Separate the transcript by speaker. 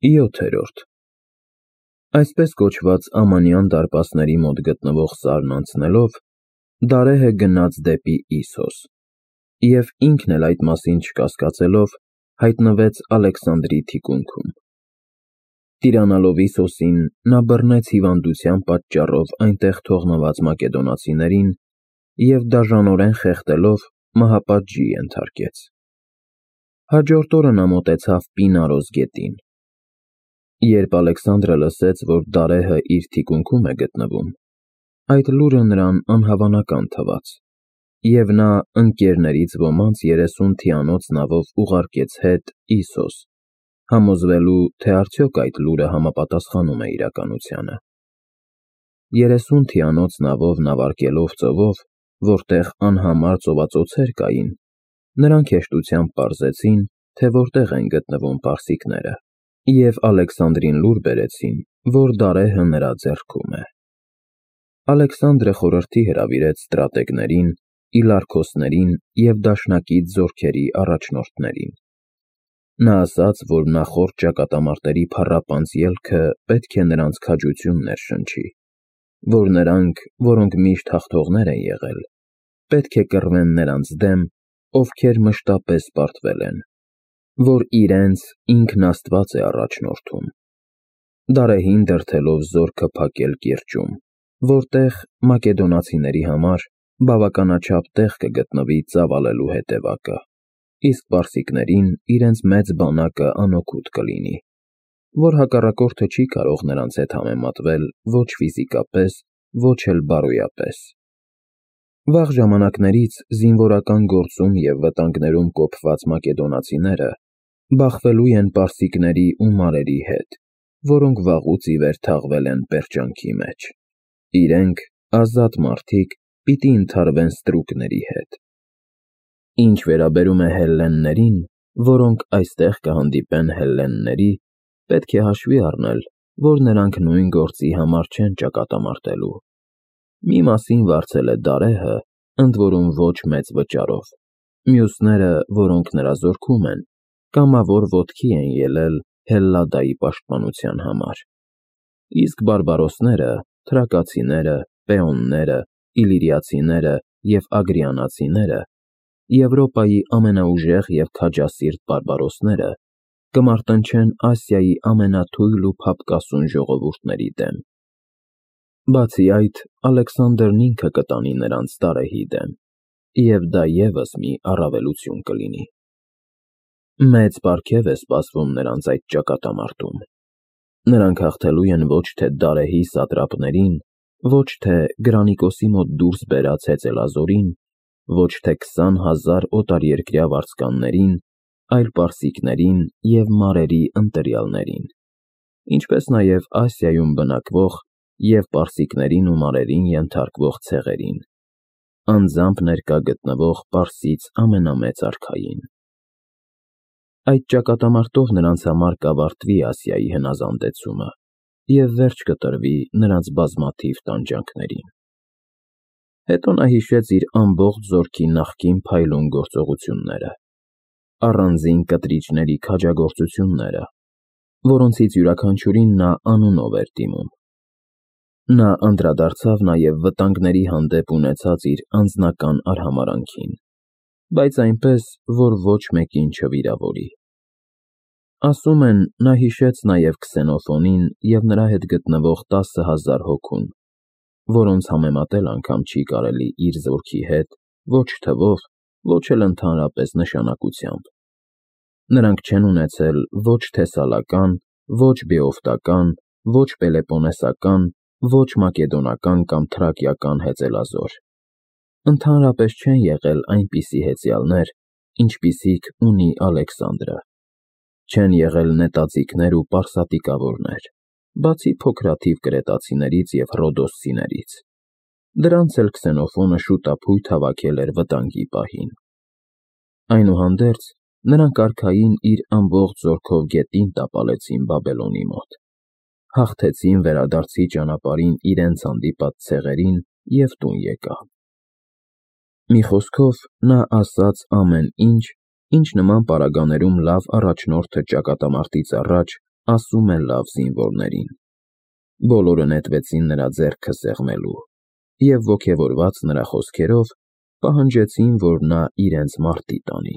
Speaker 1: 7-րդ Այսպես կոչված ամանյան դարպասների մոտ գտնվող սարն անցնելով, Դարեհը գնաց դեպի Իսոս, և ինքն էլ այդ մասին չկասկածելով, հայտնվեց Ալեքսանդրի թիկունքում։ Տիրանալով Իսոսին, նա բռնեց հիվանդության պատճառով այնտեղ թողնված մակեդոնացիներին և դաժանորեն խեղդելով մահապատժի ենթարկեց։ Հաջորդ օրը նա մոտեցավ Պինարոս գետին։ Երբ Ալեքսանդրը լսեց, որ Դարեհը իր թիկունքում է գտնվում, այդ լուրը նրան անհավանական թվաց, և նա ընկերներից ոմանց 30 թիանոց նավով ուղարկեց հետ Իսոս, համոզվելու, թե արդյոք այդ լուրը համապատասխանում է իրականությանը։ 30 թիանոց նավով նավարկելով ծովով, որտեղ անհամար ծովածոցեր կային, նրանք հեշտությամբ պարզեցին, թե որտեղ են գտնվում պարսիկները, և Ալեքսանդրին լուր բերեցին, որ Դարեհը նրա ձեռքում է։ Ալեքսանդրը խորհրդի հրավիրեց ստրատեգներին, իլարքոսներին և դաշնակից զորքերի առաջնորդներին։ Նա ասաց, որ նախորդ ճակատամարտերի փառապանծ ելքը պետք է նրանց քաջություն ներշնչի, որ նրանք, որոնք միշտ հաղթողներ են եղել, պետք է կռվեն նրանց դեմ, ովքեր մշտապես պարտվել են, որ իրենց ինքն Աստված է առաջնորդում։ Դարեհին դրդելով զորքը փակել կիրճում, որտեղ մակեդոնացիների համար բավականաչափ տեղ կգտնվի ծավալելու հետևակը, իսկ պարսիկներին իրենց մեծ բանակը անօգուտ կլինի, որ հակառակորդը չի կարող նրանց հետ համեմատվել ոչ ֆիզիկապես, ոչ էլ բարոյապես։ Վաղ ժամանակներից զինվորական գործում և վտանգներում կոփված մակեդոնացիները բախվելու են պարսիկների ու մարերի հետ, որոնք վաղուց ի վեր թաղվել են պերճանքի մեջ։ Իրենք, ազատ մարդիկ, պիտի ընդհարվեն ստրուկների հետ։ Ինչ վերաբերում է հելլեններին, որոնք այստեղ կհանդիպեն հելլենների, պետք է հաշվի առնել, որ նրանք նույն գործի համար չեն ճակատամարտելու։ Մի մասին վարձել է Դարեհը, ընդ որում ոչ մեծ վճարով, մյուսները, որոնք նրա զորքում են, կամավոր ոտքի են ելել Հելլադայի պաշտպանության համար, իսկ բարբարոսները, թրակացիները, պեոնները, իլիրիացիները և ագրիանացիները, Եվրոպայի ամենաուժեղ և քաջասիրտ բարբարոսները, կմարտնչեն Ասիայի ամենաթույլ ու փափկասուն ժողովուրդների դեմ։ Բացի այդ, Ալեքսանդրն ինքը կտանի նրանց Դարեհի դեմ, և դա ևս մի առավելություն կլինի։ Մեծ պարգև է սպասվում նրանց այդ ճակատամարտում։ Նրանք հաղթելու են ոչ թե Դարեհի սատրապներին, ոչ թե Գրանիկոսի մոտ դուրս բերած հեծելազորին, ոչ թե 20,000 օտարերկրյա վարձկաններին, այլ պարսիկներին և մարերի ընտրյալներին, ինչպես նաև Ասիայում բնակվող և պարսիկներին ու մարերին ենթարկվող ցեղերին, անձամբ ներկա գտնվող Պարսից ամենամեծ արքային։ Այդ ճակատամարտով նրանց համար կավարտվի Ասիայի հնազանդեցումը և վերջ կտրվի նրանց բազմաթիվ տանջանքներին։ Հետո նա հիշեց իր ամբողջ զորքի նախկին փայլուն գործողությունները, առանձին կտրիչների քաջագործությունները, որոնցից յուրաքանչյուրին նա անունով էր դիմում։ Նա անդրադարձավ նաև վտանգների հանդեպ ունեցած իր անձնական արհամարհանքին, բայց այնպես, որ ոչ մեկին չվիրավորի։ Ասում են, նա հիշեց նաև Քսենոֆոնին և նրա հետ գտնվող 10,000 հոգուն, որոնց համեմատել անգամ չի կարելի իր զորքի հետ ոչ թվով, ոչ էլ ընդհանրապես նշանակությամբ։ Նրանք չեն ունեցել ոչ թեսալական, ոչ բեովտական, ոչ պելեպոնեսական, ոչ մակեդոնական կամ թրակիական հեծելազոր։ Ընդհանրապես չեն եղել այնպիսի հեծյալներ, ինչպիսիք ունի Ալեքսանդրը։ Չեն եղել նետաձիգներ ու պարսատիկավորներ, բացի փոքրաթիվ կրետացիներից և ռոդոսցիներից։ Դրանց էլ Քսենոֆոնը շուտափույթ հավաքել էր վտանգի պահին։ Այնուհանդերձ, նրանք արքային իր ամբողջ զորքով գետին տապալեցին Բաբելոնի մոտ, հաղթեցին վերադարձի ճանապարհին իրենց հանդիպած ցեղերին և տուն եկան։ Մի խոսքով, նա ասաց ամեն ինչ, ինչ նման պարագաներում լավ առաջնորդը ճակատամարտից առաջ ասում է լավ զինվորներին։ Բոլորը նետվեցին նրա ձեռքը սեղմելու և, ոգևորված նրա խոսքերով, պահանջեցին, որ նա իրենց մարտի տանի։